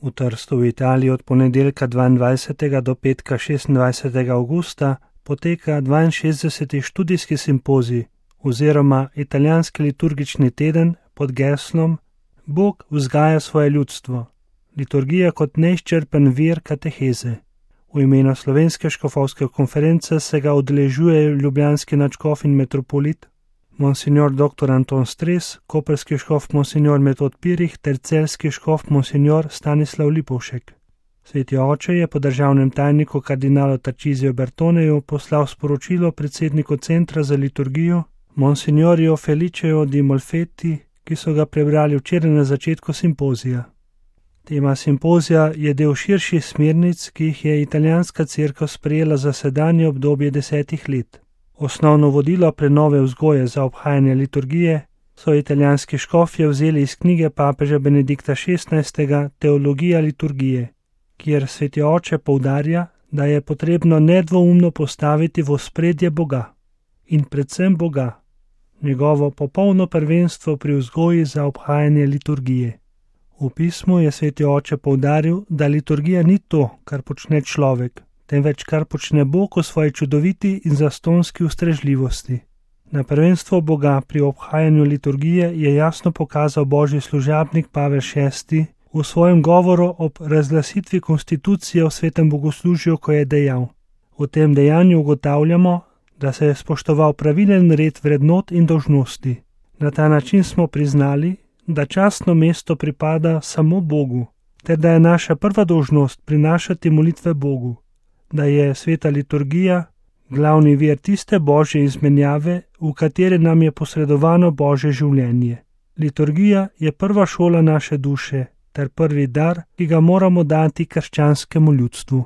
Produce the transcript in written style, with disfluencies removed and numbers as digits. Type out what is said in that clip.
V Trstu v Italiji od ponedeljka 22. do petka 26. avgusta poteka 62. študijski simpozij oziroma italijanski liturgični teden pod geslom Bog vzgaja svoje ljudstvo. Liturgija kot neizčrpen vir kateheze. V imenu Slovenske škofovske konference se ga udeležuje ljubljanski nadškof in metropolit Monsignor dr. Anton Stres, koprski škof Monsignor Metod Pirih ter celjski škof Monsignor Stanislav Lipovšek. Sveti oče je po državnem tajniku kardinalu Tarcisiju Bertoneju poslal sporočilo predsedniku Centra za liturgijo Monsignorju Feliceu di Molfetti, ki so ga prebrali včeraj na začetku simpozija. Tema simpozija je del širših smernic, ki jih je italijanska cerkev sprejela za sedanje obdobje 10 let. Osnovno vodilo prenove vzgoje za obhajanje liturgije so italijanski škofje vzeli iz knjige papeža Benedikta XVI. Teologija liturgije, kjer sveti oče poudarja, da je potrebno nedvoumno postaviti v ospredje Boga in predvsem Boga, njegovo popolno prvenstvo pri vzgoji za obhajanje liturgije. V pismu je sveti oče poudaril, da liturgija ni to, kar počne človek, temveč kar počne Bog v svoji čudoviti in zastonski ustrežljivosti. Na prvenstvo Boga pri obhajanju liturgije je jasno pokazal božji služabnik Pavel VI v svojem govoru ob razglasitvi konstitucije v svetem bogoslužju, ko je dejal: v tem dejanju ugotavljamo, da se je spoštoval pravilen red vrednot in dolžnosti. Na ta način smo priznali, da častno mesto pripada samo Bogu, ter da je naša prva dolžnost prinašati molitve Bogu, da je sveta liturgija glavni vir tiste božje izmenjave, v kateri nam je posredovano božje življenje. Liturgija je prva šola naše duše ter prvi dar, ki ga moramo dati krščanskemu ljudstvu.